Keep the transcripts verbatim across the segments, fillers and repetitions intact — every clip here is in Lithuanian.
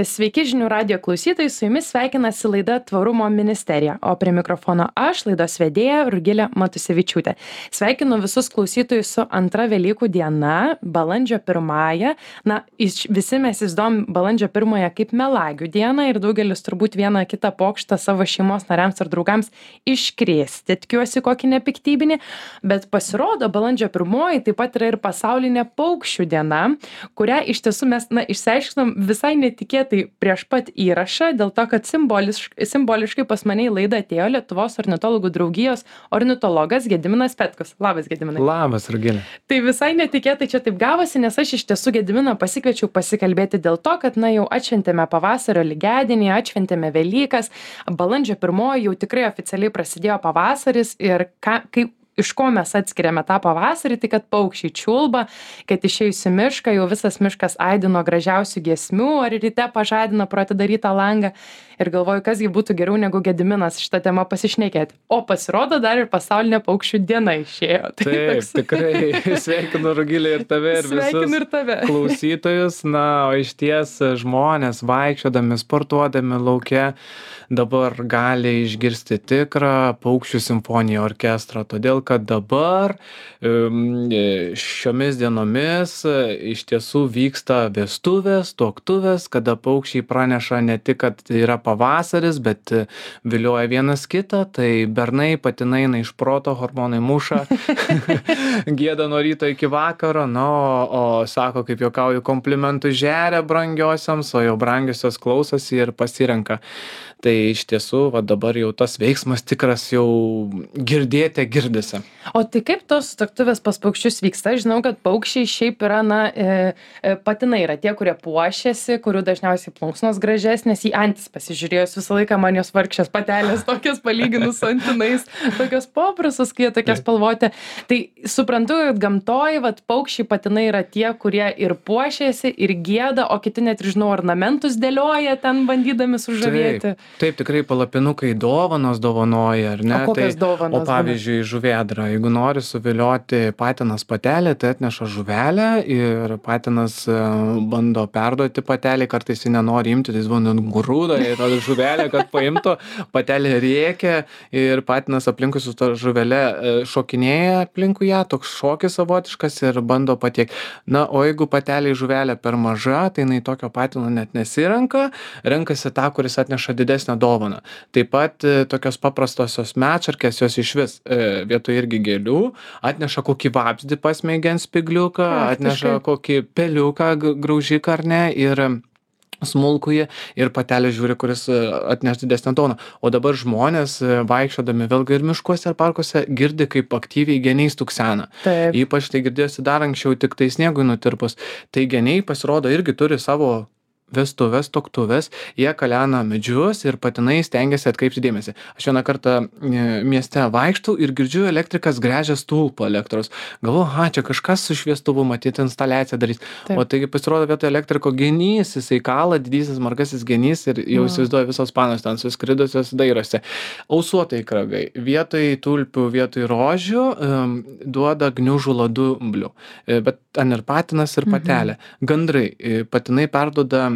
Sveiki žinių radijo klausytojai, su jumis sveikinasi laida Tvarumo ministerija, o prie mikrofono aš, laidos vedėja Rugilė Matusevičiūtė. Sveikinu visus klausytojus su antra Velykų diena, balandžio pirmąją. Na, visi mes įsidom balandžio pirmąją kaip melagių dieną ir daugelis turbūt vieną kitą pokštą savo šeimos nariams ar draugams iškrėsti. Tikiuosi kokį nepiktybinį, bet pasirodo balandžio pirmoji taip pat yra ir pasaulinė paukščių diena, kurią iš tiesų mes, na, išsiaiškinom visai netikėtai prieš pat įrašą, dėl to, kad simboliškai, simboliškai pas mane į laidą atėjo Lietuvos ornitologų draugijos ornitologas Gediminas Petkus. Labas, Gediminai. Labas, Rugilė. Tai visai netikėtai čia taip gavosi, nes aš iš tiesų Gediminą pasikviečiau pasikalbėti dėl to, kad, na, jau atšventėme pavasario lygiadienį, atšventėme Velykas, balandžio pirmoji jau tikrai oficialiai prasidėjo pavasaris ir ką, kaip iš ko mes atskiriame tą pavasarį, tai kad paukščiai čiulba, kad išėjus į mišką jau visas miškas aidino gražiausių giesmių, ar ryte pažadina pro atidarytą langą. Ir galvoju, kasgi būtų geriau negu Gediminas šitą temą pasišnekėti. O pasirodo, dar ir pasaulinė paukščių diena išėjo. Tai Taip, toks... tikrai sveikinu Rugilė ir tave ir visus ir tave. klausytojus. Na, o iš ties žmonės vaikščiodami, sportuodami lauke dabar gali išgirsti tikrą paukščių simfoniją orkestrą, todėl kad dabar šiomis dienomis iš tiesų vyksta vestuvės, tuoktuvės, kada paukščiai praneša ne tik, kad yra pavasaris, bet vilioja vienas kitą, tai bernai, patinai eina iš proto, hormonai muša, gieda nuo ryto iki vakaro, na, o, o sako, kaip juokauju, komplimentų žeria brangiosiams, o jau brangiosios klausosi ir pasirenka. Tai iš tiesų, va dabar jau tas veiksmas tikras jau girdėte girdisi. O tai kaip tos tuoktuvės pas paukščius vyksta? Žinau, kad paukščiai šiaip yra, na, e, e, patinai yra tie, kurie puošiasi, kurių dažniausiai plunksnos gražesnės, į antis pasižiūrėjus visą laiką man jos vargšės patelės, tokias palyginus su antinais, tokios paprastos, kai jie tokie spalvoti. Tai suprantu, kad gamtoj, vat, paukščiai patinai yra tie, kurie ir puošiasi, ir gieda, o kiti net, žinau, ornamentus dėlioja ten bandydami sužavėti. Taip. Taip, tikrai palapinukai dovanos dovanoja, ar ne? O kokias tai, dovanos? O pavyzdžiui, žuvėdra. Jeigu nori suvilioti patinas patelę, tai atneša žuvelę ir patinas bando perduoti patelį, kartais jis nenori imti, tai jis bando grūdą ir žuvelę, kad paimtų, patelė rėkia ir patinas aplinkui su to žuvelė šokinėja aplinkui ją, toks šokis savotiškas ir bando patiekti. Na, o jeigu patelė žuvelė per maža, tai jinai tokio patino net nesirenka, renkasi tą, kuris atneša didesnį dovaną. Taip pat tokios paprastosios medšarkės, jos iš vis e, vietoj irgi gėlių, atneša kokį vabzdį pasmeigiant spigliuką, atneša kokį peliuką, graužiką ar ne, ir smulkųjį, ir patelė žiūri, kuris atneš didesnę dovaną. O dabar žmonės vaikščiodami vėlgi ir miškuose, ir parkuose girdi, kaip aktyviai geniai stuksena. Taip. Ypač tai girdėjosi dar anksčiau, tik tai sniegui nutirpus. Tai geniai pasirodo irgi turi savo vestuvės, tuoktuvės, jie kalena medžius ir patinai stengiasi atkreipti dėmesį. Aš vieną kartą mieste vaikštau ir girdžiu, elektrikas gręžia stulpą elektros. Galvoju, ha, čia kažkas su šviestuvu, matyti instaliaciją darys. Taip. O taigi pasirodo vietoj elektriko genys, jisai kala, didysis margasis genys ir jau įsivaizduoja visos panos ten suskridusios dairosi. Ausuotai kragai. Vietoj tulpių, vietoj rožių um, duoda gniužų ladumblių. Bet ten ir patinas, ir patelė. Mhm. Gandrai. Patinai perduoda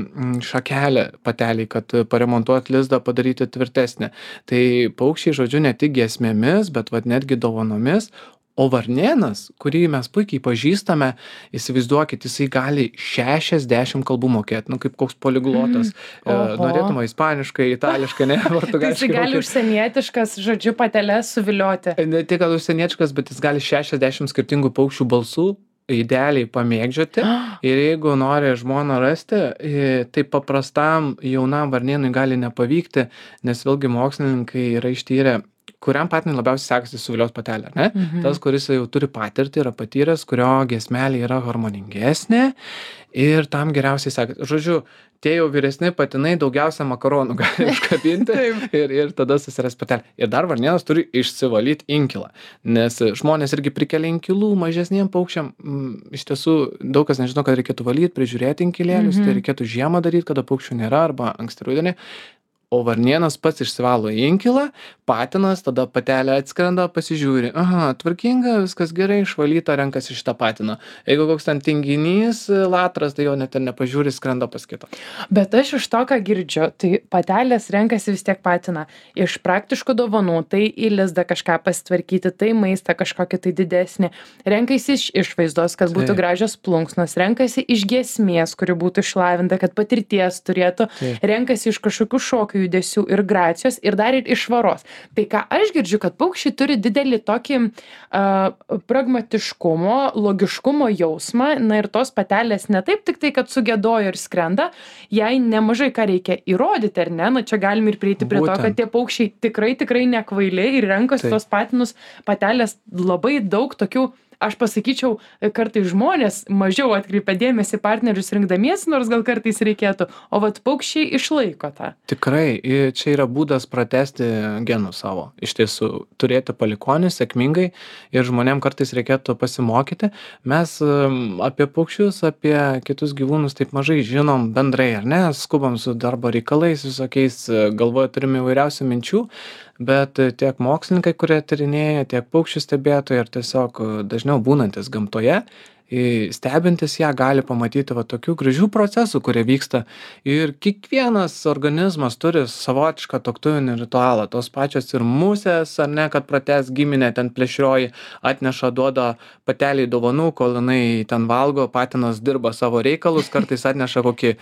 šakelę pateliai, kad paremontuot lizdą, padaryti tvirtesnę. Tai paukščiai, žodžiu, ne tik giesmėmis, bet vat netgi dovanomis. O varnėnas, kurį mes puikiai pažįstame, įsivaizduokit, jisai gali šešiasdešimt kalbų mokėti, nu kaip koks poliglotas. Mm. Norėtume ispaniškai, itališkai, ne, portugališkai. Tai jisai gali užsienietiškas, žodžiu, pateles suvilioti. Ne tik, kad užsienietiškas, bet jis gali šešiasdešimt skirtingų paukščių balsų idealiai pamėgdžioti ir jeigu nori žmoną rasti, tai paprastam jaunam varnėnui gali nepavykti, nes vėlgi mokslininkai yra ištyrę, kuriam patinui labiausiai sekasi suviliot patelę, ne? Mhm. Tas, kuris jau turi patirtį, yra patyręs, kurio giesmelė yra harmoningesnė ir tam geriausiai sekasi. Žodžiu, tie jau vyresni patinai daugiausia makaronų gali užkabinti ir, ir tada susiras patelę. Ir dar varnėnas turi išsivalyti inkilą, nes žmonės irgi prikelia inkilų mažesniem paukščiam. Iš tiesų, daug kas nežino, kad reikėtų valyti, prižiūrėti inkilėlius, mm-hmm. tai reikėtų žiemą daryti, kada paukščių nėra, arba anksti rudenį. o varnėnas pats išsivalo į inkilą, patinas, tada patelė atskrenda, pasižiūri, aha, tvarkinga, viskas gerai, išvalyta, renkasi šitą patiną. Jeigu koks ten tinginys, latras, tai jo net ir nepažiūri, skrenda pas kitą. Bet aš iš to, ką girdžiu, tai patelės renkasi vis tiek patiną. Iš praktiškų dovanų, tai į lizdą kažką pasitvarkyti, tai maistą kažkokį tai didesnį. Renkasi iš išvaizdos, kad būtų Taip. gražios plunksnos, renkasi iš giesmės, kuri būtų išlavinta, kad patirties turėtų, Taip. renkasi iš kažkokių šokių judesių ir gracijos ir dar ir iš švaros. Tai ką aš girdžiu, kad paukščiai turi didelį tokį uh, pragmatiškumo, logiškumo jausmą, na ir tos patelės ne taip tik tai, kad sugėdojo ir skrenda, jai nemažai ką reikia įrodyti, ar ne? Na čia galim ir prieiti prie Būtent. to, kad tie paukščiai tikrai, tikrai nekvailiai ir renkasi Taip. tos patinus patelės labai daug tokių. Aš pasakyčiau, kartais žmonės mažiau atkreipia dėmesį partnerius rinkdamiesi, nors gal kartais reikėtų, o vat paukščiai išlaiko tą. Tikrai, i- čia yra būdas pratesti genų savo. Iš tiesų, turėti palikonį sėkmingai ir žmonėm kartais reikėtų pasimokyti. Mes em, apie paukščius, apie kitus gyvūnus taip mažai žinom bendrai, ar ne? Skubam su darbo reikalais, visokiais, e, galvoje turime įvairiausių minčių, bet e, tiek mokslininkai, kurie tyrinėja, tiek paukščių stebėtojai ir tiesiog e, dažniau būnantis gamtoje, i- stebintis ją gali pamatyti va tokių gražių procesų, kurie vyksta. Ir kiekvienas organizmas turi savotišką tuoktuvinį ritualą. Tos pačios ir musės, ar ne, kad pratęs giminę, ten plėšrioji atneša, duoda pateliai dovanų, kol jinai ten valgo, patinas dirba savo reikalus, kartais atneša kokį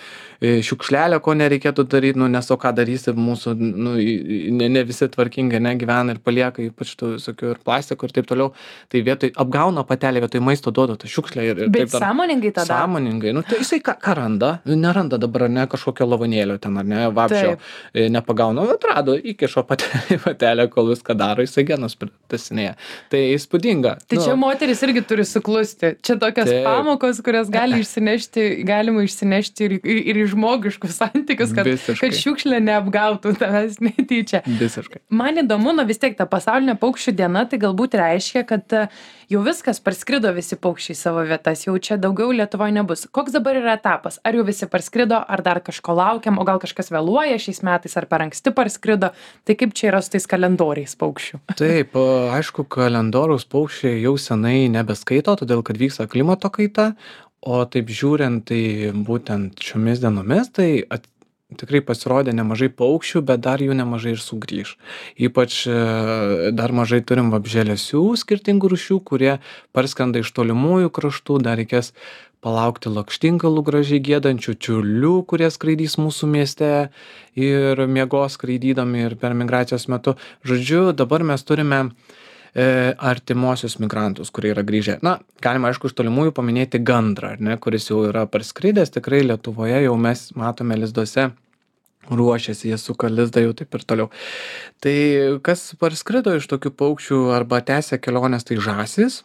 e, šiukšlelę, ko nereikėtų daryti, nu nes o ką darysi, mūsų, nu, i- i- ne, ne visi tvarkingai negyvena ir palieka ypač tų visokių ir plastikų ir taip toliau. Tai vietoj apgauna patelė, vietoj maisto duoda tą šiukšlę ir, ir Bet taip dar. sąmoningai tada. Sąmoningai. Nu, tai jisai ką, ką randa? Neranda dabar, ar ne, kažkokio lavonėlio ten, ar ne, vabžio e, nepagauna. Atrado, įkišo patelę, patelę, kol viską daro, jisai genus pritasinėja. Tai įspūdinga. Tai čia moteris irgi turi suklusti. Čia tokios Taip. pamokos, kurias gali išsinešti, galima išsinešti ir, ir, ir į žmogiškus santykius, kad, Visiškai. kad šiukšlė neapgautų tavęs netyčia. Visiškai. Man įdomu, na vis tiek ta pasaulinė paukščių diena, tai galbūt reiškia, kad e, jau viskas parskrido visi paukščiai į savo vietas, jau čia daugiau Lietuvoje nebus. Koks dabar yra etapas? Ar jau visi parskrido, ar dar kažko laukiam, o gal kažkas vėluoja šiais metais, ar per anksti parskrido? Tai kaip čia yra su tais kalendoriais paukščių? Taip, a, aišku, kalendoriaus paukščiai jau senai nebeskaito, todėl kad vyksta klimato kaita, o taip žiūrint, tai būtent šiomis dienomis, tai at, tikrai pasirodė nemažai paukščių, bet dar jų nemažai ir sugrįž. Ypač e, dar mažai turim vabzdžialesių skirtingų rūšių, kurie parskrenda iš tolimųjų kraštų, dar reikės palaukti lakštingalų gražiai giedančių, čiurlių, kurie skraidys mūsų mieste ir miegos skraidydami ir per migracijos metu. Žodžiu, dabar mes turime e, artimuosius migrantus, kurie yra grįžę. Na, galima aišku iš tolimųjų paminėti gandrą, ar ne, kuris jau yra parskridęs, tikrai Lietuvoje jau mes matome lizduose, ruošiasi, jie suka lizdą jau taip ir toliau. Tai kas parskrido iš tokių paukščių arba tęsia keliones, tai žąsys.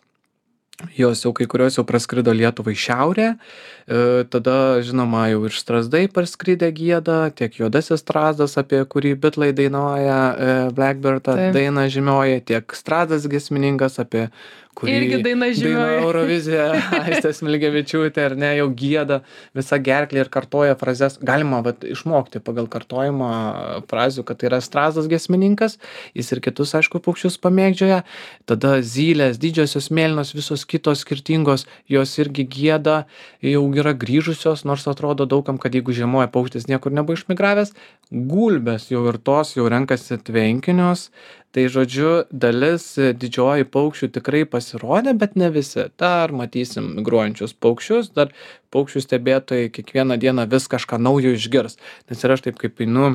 Jos jau kai kurios jau praskrido Lietuvą į šiaurę, e, tada žinoma jau ir strazdai parskridę gieda, tiek juodasis strazdas, apie kurį bitlai dainuoja, e, Blackbird Taip. daina žymioji, tiek strazdas giesmininkas, apie kurį Irgi daina žymioji. Eurovizija, Aistė Smilgevičiūtė, ar ne, jau gieda visą gerklę ir kartoja frazes. Galima vat, išmokti pagal kartojimą frazių, kad tai yra strazdas giesmininkas, jis ir kitus, aišku, paukščius pamėgdžioja. Tada zylės, didžiosios mėlynos, visos kitos skirtingos, jos irgi gieda, jau yra grįžusios, nors atrodo daugam, kad jeigu žiemoja paukštis niekur nebuvo išmigravęs. Gulbės jau ir tos jau renkasi tvenkinius. Tai žodžiu, dalis didžioji paukščių tikrai pasirodė, bet ne visi. Dar matysim migruojančius paukščius, dar paukščių stebėtojai kiekvieną dieną vis kažką naujo išgirs. Nes ir aš taip kaip einu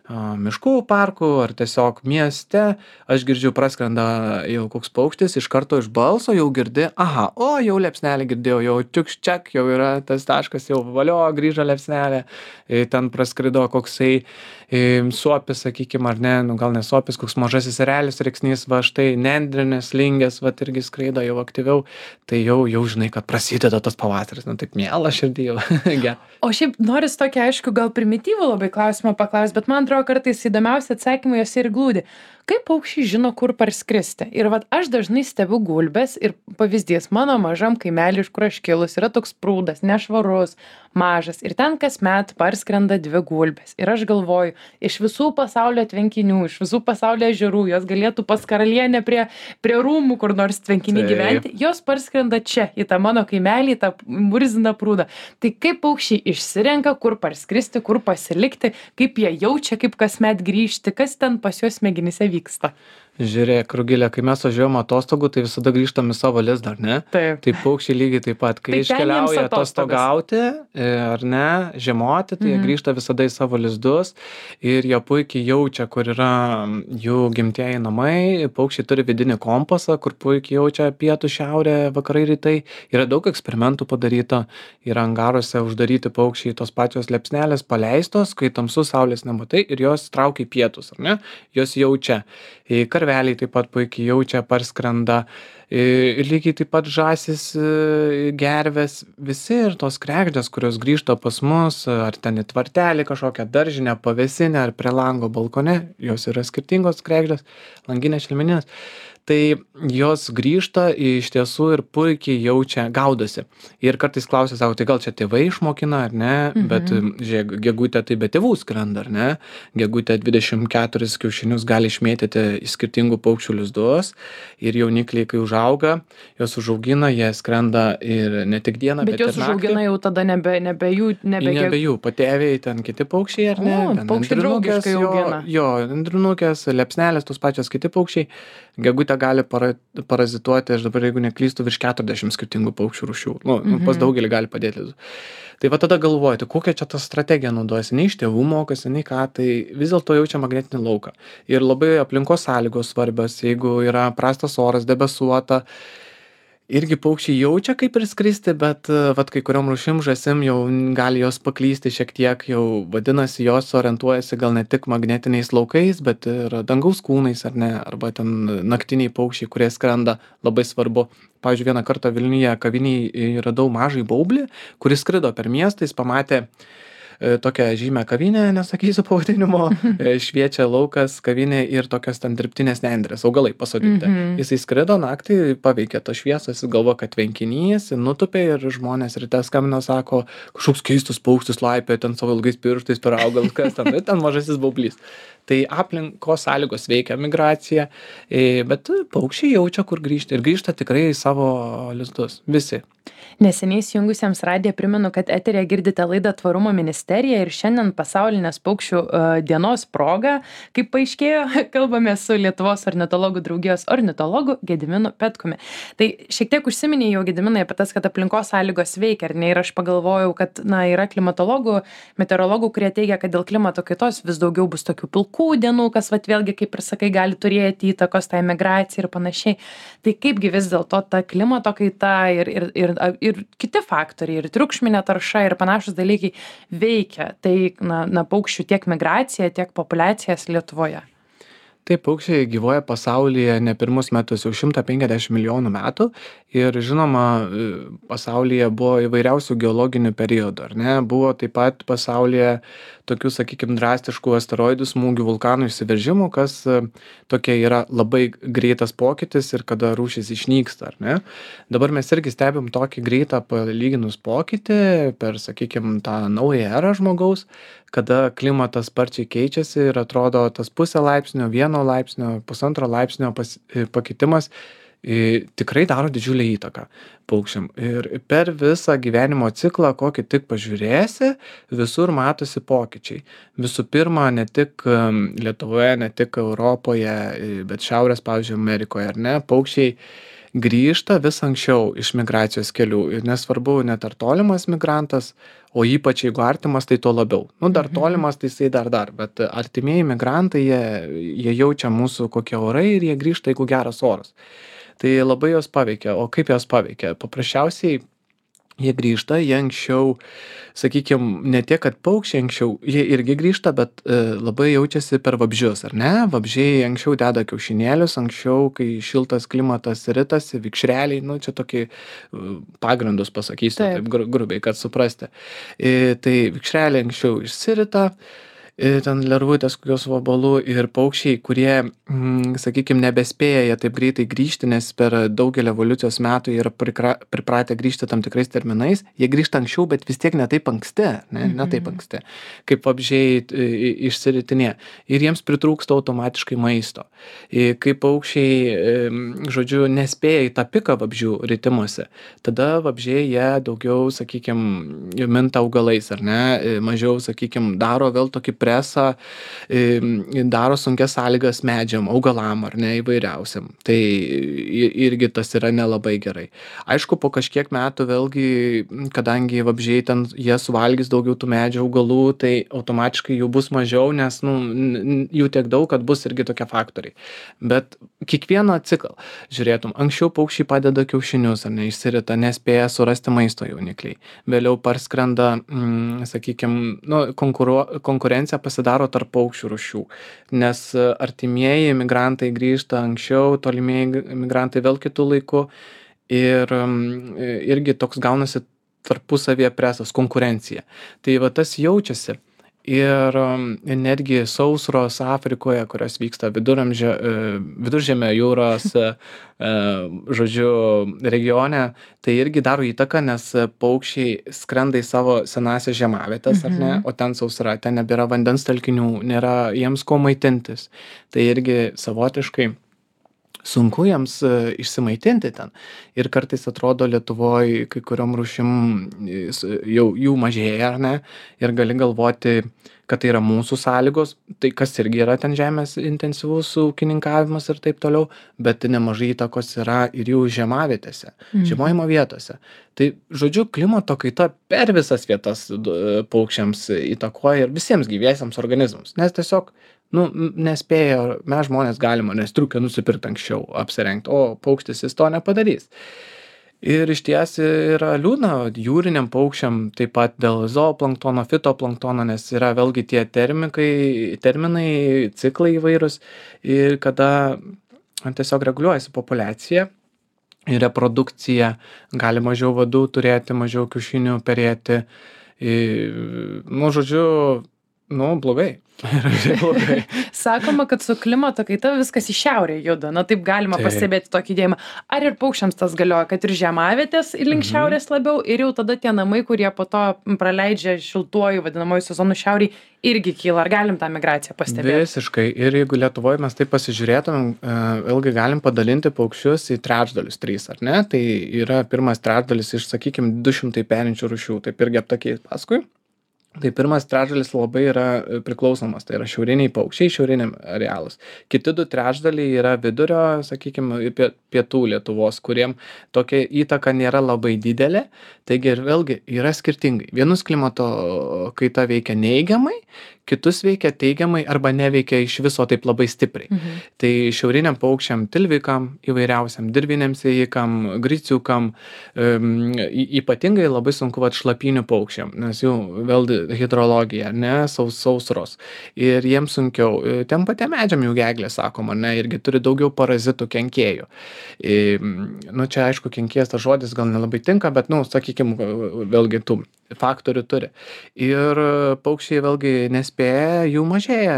a, miškų parkų ar tiesiog mieste, aš girdžiu praskrenda jau koks paukštis, iš karto iš balso jau girdi, aha, o jau liepsnelį girdėjau, jau čiukščiak, jau yra tas taškas, jau valio, grįžo liepsnelė, e, ten praskrido koksai e, suopis, sakykime, ar ne, nu gal ne suopis, koks mažasis erelis, rėksnys, va štai nendrinės, lingės, va irgi skraido jau aktyviau, tai jau, jau žinai, kad prasideda tas pavasaris, nu taip miela širdį jau. Gerai. O šiaip noris tokį, aišku, gal primityvų labai klausimą paklausti, bet man atrodo, kartais įdomiausi atsakymai jos ir glūdi. kaip paukščiai žino, kur parskristi? Ir vat aš dažnai stebiu gulbes ir pavyzdys, mano mažam kaimely, iš kur aš kilus, yra toks prūdas, nešvarus, mažas. Ir ten kasmet parskrenda dvi gulbės. Ir aš galvoju, iš visų pasaulio tvenkinių, iš visų pasaulio ežerų, jos galėtų pas karalienę prie, prie rūmų kur nors tvenkiny gyventi, jos parskrenda čia, į tą mano kaimelį, į tą murziną prūdą. Tai kaip paukščiai išsirenka, kur parskristi, kur pasilikti, kaip jie jaučia, kaip kasmet grįžti, kas ten pas juos smegenyse vyksta? Žiūrėk, Rugilė, kai mes važiuojam atostogų, tai visada grįžtam į savo lizdą, ar ne? Taip. Tai paukščiai lygiai taip pat, kai Tai ten jiems iškeliauja atostogas. atostogauti, e, ar ne, žiemoti, tai jie Mhm. grįžta visada į savo lizdus ir jie puikiai jaučia, kur yra jų gimtieji namai. Paukščiai turi vidinį kompasą, kur puikiai jaučia pietų, šiaurė, vakarai, rytai. Yra daug eksperimentų padaryta, yra angaruose uždaryti paukščiai, tos pačios liepsnelės paleistos, kai tamsu, saulės nematai ir jos traukia į pietus, ar ne? Jos jaučia. E, Karveliai taip pat puikiai jaučia, parskrenda. Ir lygiai taip pat žąsis, e, gervės, visi ir tos kregždės, kurios grįžta pas mus, ar ten į tvartelį kažkokią daržinę, pavėsinę, ar prie lango balkone, jos yra skirtingos kregždės, langinės, šelmeninės. Tai jos grįžta iš tiesų ir puikiai jaučia, gaudosi. Ir kartais klausia, sako, tai gal čia tėvai išmokina, ar ne? Mhm. Bet žiūrėk, gegutė tai be tėvų skrenda, ar ne? Gegutė dvidešimt keturis kiaušinius gali išmėtyti į skirtingų paukščių lizdus ir jaunikliai, kai užauga, jos užaugina, jie skrenda ir ne tik dieną, bet, Bet jos ir naktį. užaugina jau tada nebe, nebe jų, nebe, Nebe jų, patėviai, ten kiti paukščiai, ar ne? O, Ten paukščiai nendrinukės, draugiškai jo- augina. Jo, nendrinukės, liepsnelės, tos pačios kiti paukščiai. Gegutė gali para, parazituoti, aš dabar jeigu neklystu, virš keturiasdešimt skirtingų paukščių rūšių. Nu, nu, pas Mhm. daugelį gali padėti lizdus. Tai va tada galvoji, tai kokią čia tą strategiją naudojasi, nei iš tėvų mokosi, nei ką, tai vis dėlto jaučia magnetinį lauką. Ir labai aplinkos sąlygos svarbios, jeigu yra prastas oras, debesuota, irgi paukščiai jaučia, kaip ir skristi, bet e, vat kai kuriom rūšim žąsim jau gali jos paklysti šiek tiek, jau vadinasi, jos orientuojasi gal ne tik magnetiniais laukais, bet ir dangaus kūnais, ar ne, arba ten naktiniai paukščiai, kurie skrenda, labai svarbu. Pavyzdžiui, vieną kartą Vilniuje kavinėj radau mažai baublį, kuris skrido per miestą, jis pamatė e, tokią žymę kavinę, nesakysiu pavadinimo, e, šviečia laukas kavinė ir tokios ten dirbtinės nendrės, augalai pasodinti. Mhm. Jisai skrido naktį, paveikė to šviesos, jis galvo, kad tvenkinys, nutupė ir žmonės ryte skambino, sako, kažkoks keistas paukštis laipė, ten savo ilgais pirštais per augalus, kas ten, ir ten mažasis baublys. Tai aplinkos sąlygos veikia migraciją, e, bet paukščiai jaučia, kur grįžti ir grįžta tikrai į savo lizdus, visi. Neseniai įsijungusiems radiją primenu, kad eterėje girdite laidą Tvarumo ministerija ir šiandien pasaulinės paukščių e, dienos proga, kaip paaiškėjo, kalbame su Lietuvos ornitologų draugijos ornitologu Gediminu Petkumi. Tai šiek tiek užsiminė jau Gediminai apie tas, kad aplinkos sąlygos veikia, ar ne? Ir aš pagalvojau, kad na, yra klimatologų, meteorologų, kurie teigia, kad dėl klimato kaitos vis daugiau bus tokių pilkų dienų, kas vat, vėlgi, kaip ir sakai, gali turėti įtakos tai migracijai ir panašiai. Tai kaipgi vis dėlto ta klimato kaita ir, ir, ir, ir kiti faktoriai, ir triukšminė tarša ir panašus dalykai veikia tai na, na, paukščių tiek migraciją, tiek populiacijas Lietuvoje. Taip, paukščiai gyvuoja pasaulyje ne pirmus metus, jau šimtą penkiasdešimt milijonų metų ir žinoma, pasaulyje buvo įvairiausių geologinių periodų, ar ne? Buvo taip pat pasaulyje tokių, sakykime, drastiškų asteroidų smūgių, vulkanų išsiveržimų, kas tokia yra labai greitas pokytis ir kada rūšis išnyksta, ar ne? Dabar mes irgi stebim tokį greitą palyginus pokytį per, sakykime, tą naują erą žmogaus, kada klimatas sparčiai keičiasi ir atrodo tas pusę laipsnio, vieno laipsnio, pusantro laipsnio pas, pakitimas i, tikrai daro didžiulę įtaką paukščiam. Ir per visą gyvenimo ciklą, kokį tik pažiūrėsi, visur matosi pokyčiai. Visų pirma, ne tik Lietuvoje, ne tik Europoje, bet šiaurės, pavyzdžiui, Amerikoje, ar ne, paukščiai grįžta vis anksčiau iš migracijos kelių. Ir nesvarbu, net ar tolimas migrantas, o ypač jeigu artimas, tai tuo labiau. Nu, dar tolimas, tai jisai dar dar, bet artimieji migrantai, jie, jie jaučia mūsų kokie orai ir jie grįžta, jeigu geras oras. Tai labai jos paveikia. O kaip jos paveikia? Paprasčiausiai jie grįžta, jie anksčiau, sakykime, ne tiek, kad paukščiai anksčiau, jie irgi grįžta, bet e, labai jaučiasi per vabzdžius, ar ne? Vabzdžiai anksčiau deda kiaušinėlius, anksčiau, kai šiltas klimatas ritasi, vikšreliai, nu čia tokį e, pagrindus pasakysiu, taip, taip gru, grubiai, kad suprasti. E, tai vikšreliai anksčiau išsirita, ir ten lervutės kokios vabalų ir paukščiai, kurie, mm, sakykime, nebespėja jie taip greitai grįžti, nes per daugelį evoliucijos metų jie yra prikra, pripratę grįžti tam tikrais terminais, jie grįžta anksčiau, bet vis tiek ne taip anksti, ne, ne taip anksti, kaip vabzdžiai i- išsiritinė. Ir jiems pritrūksta automatiškai maisto. I- Kai paukščiai, em, žodžiu, nespėja į tą piką vabzdžių ritimuose, tada vabzdžiai jie daugiau, sakykime, minta augalais, ar ne, I mažiau, sakykime, daro vėl tokį presą, i- daro sunkias sąlygas medžiam, augalam, ar ne, įvairiausiam. Tai i- irgi tas yra nelabai gerai. Aišku, po kažkiek metų vėlgi, kadangi vabzdžiai ten, jie suvalgys daugiau tų medžių, augalų, tai automatiškai jų bus mažiau, nes, nu, n- n- jų tiek daug, kad bus irgi tokie faktoriai. Bet kiekvieną ciklą žiūrėtum, anksčiau paukščiai padeda kiaušinius, ar ne, išsirita, nespėja surasti maisto jaunikliai. Vėliau parskrenda, mm, sakykime, nu, konkuro, konkurencija pasidaro tarp paukščių rūšių, nes e, artimieji migrantai grįžta anksčiau, tolimieji migrantai vėl kitų laikų ir mm, irgi toks gaunasi tarpusavėje presas, konkurencija. Tai va tas jaučiasi. Ir um, netgi sausros Afrikoje, kurios vyksta viduramžio, e, viduržemio jūros, e, e, žodžiu, regione, tai irgi daro įtaką, nes paukščiai skrenda į savo senąsias žiemavietes, ar ne, o ten sausra, ten nebėra vandens telkinių, nėra jiems ko maitintis. Tai irgi savotiškai sunku jiems e, išsimaitinti ten. Ir kartais atrodo Lietuvoje kai kuriom rūšim e, s- jau jų mažėja, ar ne, ir gali galvoti, kad tai yra mūsų sąlygos, tai kas irgi yra ten žemės intensyvus ūkininkavimas ir taip toliau, bet nemažai įtakos yra ir jų žiemavietėse, žiemojimo vietose. Tai, žodžiu, klimato kaita per visas vietas d- paukščiams įtakoja ir visiems gyviesiems organizmams, nes tiesiog, nu, m- nespėjo, mes žmonės galima, nes striukę nusipirkti anksčiau, apsirengti, o paukštis jis to nepadarys. Ir išties yra liūdna jūriniam paukščiam taip pat dėl zooplanktono, fitoplanktono, nes yra vėlgi tie termikai, terminai, ciklai įvairūs ir kada tiesiog reguliuojasi populiacija ir reprodukcija, gali mažiau vadų turėti, mažiau kiaušinių perėti. I- Nu, žodžiu, nu, blogai. Yra blogai. Sakoma, kad su klimato kaita viskas į šiaurę juda. Na, taip galima Taip. pastebėti tokį judėjimą. Ar ir paukščiams tas galioja, kad ir žiemavietės link šiaurės labiau ir jau tada tie namai, kurie po to praleidžia šiltuoju vadinamoju sezonu šiauriai, irgi kyla. Ar galim tą migraciją pastebėti? Visiškai. Ir jeigu Lietuvoje mes taip pasižiūrėtumėm, e, vėlgi galim padalinti paukščius į trečdalius trys, ar ne? Tai yra pirmas trečdalis iš, sakykime, du šimtai perinčių rūšių, taip irgi aptakiai paskui. Tai pirmas trečdalis labai yra e, priklausomas, tai yra šiauriniai paukščiai, šiauriniam arealas. Kiti du trečdaliai yra vidurio, sakykime, pie- pietų Lietuvos, kuriem tokia įtaka nėra labai didelė. Taigi ir vėlgi yra skirtingai. Vienus klimato kaita veikia neigiamai, kitus veikia teigiamai arba neveikia iš viso taip labai stipriai. Tai šiauriniam paukščiam, tilvikam, įvairiausiam dirviniam sėjikam, griciukam, em, y- ypatingai labai sunku vat šlapinių paukščiam, nes jų vėl hidrologija, ne, saus, sausros. Ir jiems sunkiau. E, Tiem patiem medžiam jų geglė, sakoma, ne, irgi turi daugiau parazitų kenkėjų. E, Nu, čia aišku, kenkėjas tas žodis gal nelabai tinka, bet, nu, sakykime, vėlgi tų faktorių turi. Ir e, paukščiai vėlgi nespėja, jų mažėja.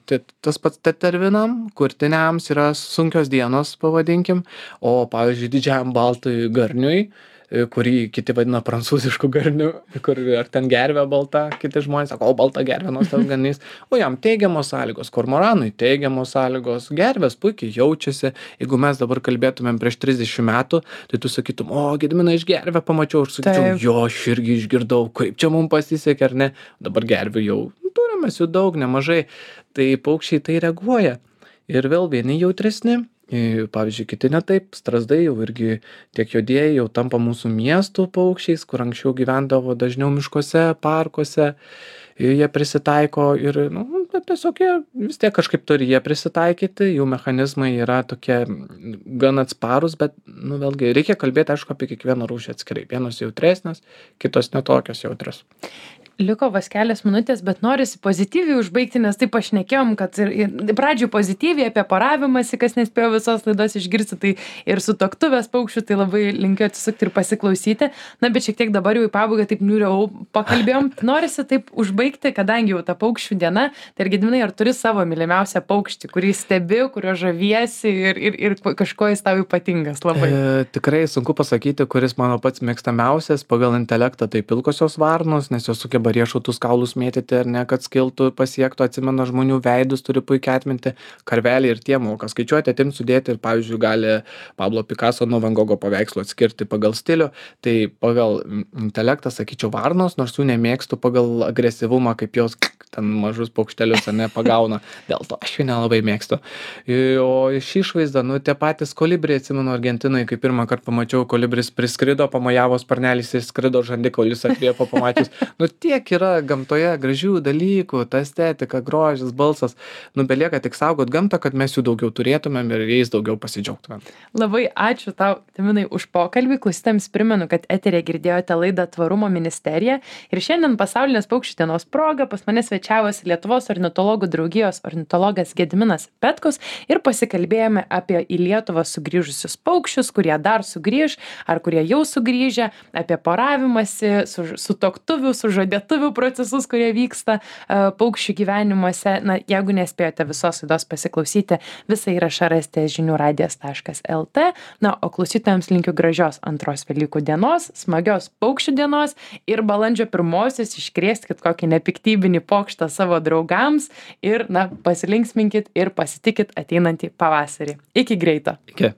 T- Tas pats tetervinam, kurtiniams yra sunkios dienos, pavadinkim, o, pavyzdžiui, didžiajam baltui garniui, e, kurį kiti vadina prancūzišku garniu, kur ar ten gervė balta, kiti žmonės sako, o balta gervė, nors tas ganys, o jam teigiamos sąlygos, kormoranui teigiamos sąlygos, gervės puikiai jaučiasi. Jeigu mes dabar kalbėtumėm prieš trisdešimt metų, tai tu sakytum, o, Gediminą iš gervę pamačiau, aš sakyčiau, Taip. jo, aš irgi išgirdau, kaip čia mums pasisekė, ar ne, dabar gervių jau turime jų daug, nemažai, tai paukščiai tai reaguoja. Ir vėl vieni jautresni, i, pavyzdžiui, kiti ne taip, strazdai jau irgi tiek juodieji jau tampa mūsų miestų paukščiais, kur anksčiau gyvendavo dažniau miškuose, parkuose, i, jie prisitaiko ir, nu, bet tiesiog jie vis tiek kažkaip turi jie prisitaikyti, jų mechanizmai yra tokie mm, gan atsparus, bet, nu, vėlgi reikia kalbėti, aišku, apie kiekvieną rūšį atskirai. Vienos jautresnės, kitos netokios jautrios. Liko vos kelios minutės, bet norisi pozityviai užbaigti, nes taip pašnekėjom, kad ir, ir pradžių pozityviai apie poravimąsi, kas nespėjo visos laidos išgirsti, tai ir su tuoktuvės paukščiu, tai labai linkiu atsisukti ir pasiklausyti. Na, bet šiek tiek dabar jau į pabaigą taip niūriau pakalbėjom. Norisi taip užbaigti, kadangi jau ta paukščių diena, tai ir Gediminai, ar turi savo mylimiausią paukštį, kurį stebi, kurio žaviesi ir, ir, ir kažko jis tau ypatingas labai? E, tikrai sunku pasakyti, kuris mano pats mėgstamiausias pagal intelektą, tai pilkosios varnos, nes jos sugeba riešutus kaulus mėtyti ar ne, kad skiltų, pasiektų, atsimena žmonių veidus, turi puikiai atminti, karveliai ir tie moka skaičiuoti, atimt, sudėti ir, pavyzdžiui, gali Pablo Picasso nuo Van Gogo paveikslų atskirti pagal stilių. Tai pagal intelektą sakyčiau varnos, nors jų nemėgstu pagal agresyvumą, kaip jos ten mažus paukštelius ar ne pagauna. Dėl to aš jų nelabai mėgstu. O iš išvaizdą, nu, tie patys kolibriai, atsimenu, Argentinoje, kai pirmą kartą pamačiau, kolibris priskrido, pamojavo sparnelis ir skrido, žandikaulis atvėpo pamačius. Nu, tiek yra gamtoje gražių dalykų, ta estetika, grožis, balsas. Nu, belieka tik saugot gamtą, kad mes jų daugiau turėtumėm ir jais daugiau pasidžiaugtumėm. Labai ačiū tau, Gediminai, už pokalbį. Klausytojams primenu, kad eteryje girdėjote laidą Tvarumo ministerija. Ir šiandien pasaulinės paukščių dienos proga pas mane svečiavosi Lietuvos ornitologų draugijos ornitologas Gediminas Petkus ir pasikalbėjome apie į Lietuvą sugrįžusius paukščius, kurie dar sugrįž ar kurie jau sugrįžę, apie poravimąsi, su, su tuoktuvių, su žadėtuvių procesus, kurie vyksta uh, paukščių gyvenimuose. Na, jeigu nespėjote visos laidos pasiklausyti, visą įrašą rasite žinių radijas taškas lt. Na, o klausytojams linkiu gražios antros Velykų dienos, smagios paukščių dienos ir balandžio pirmosios iškrėskit kokį nepiktybinį pokštą savo draugams ir, na, pasilinksminkit ir pasitikit ateinantį pavasarį. Iki greito. Iki.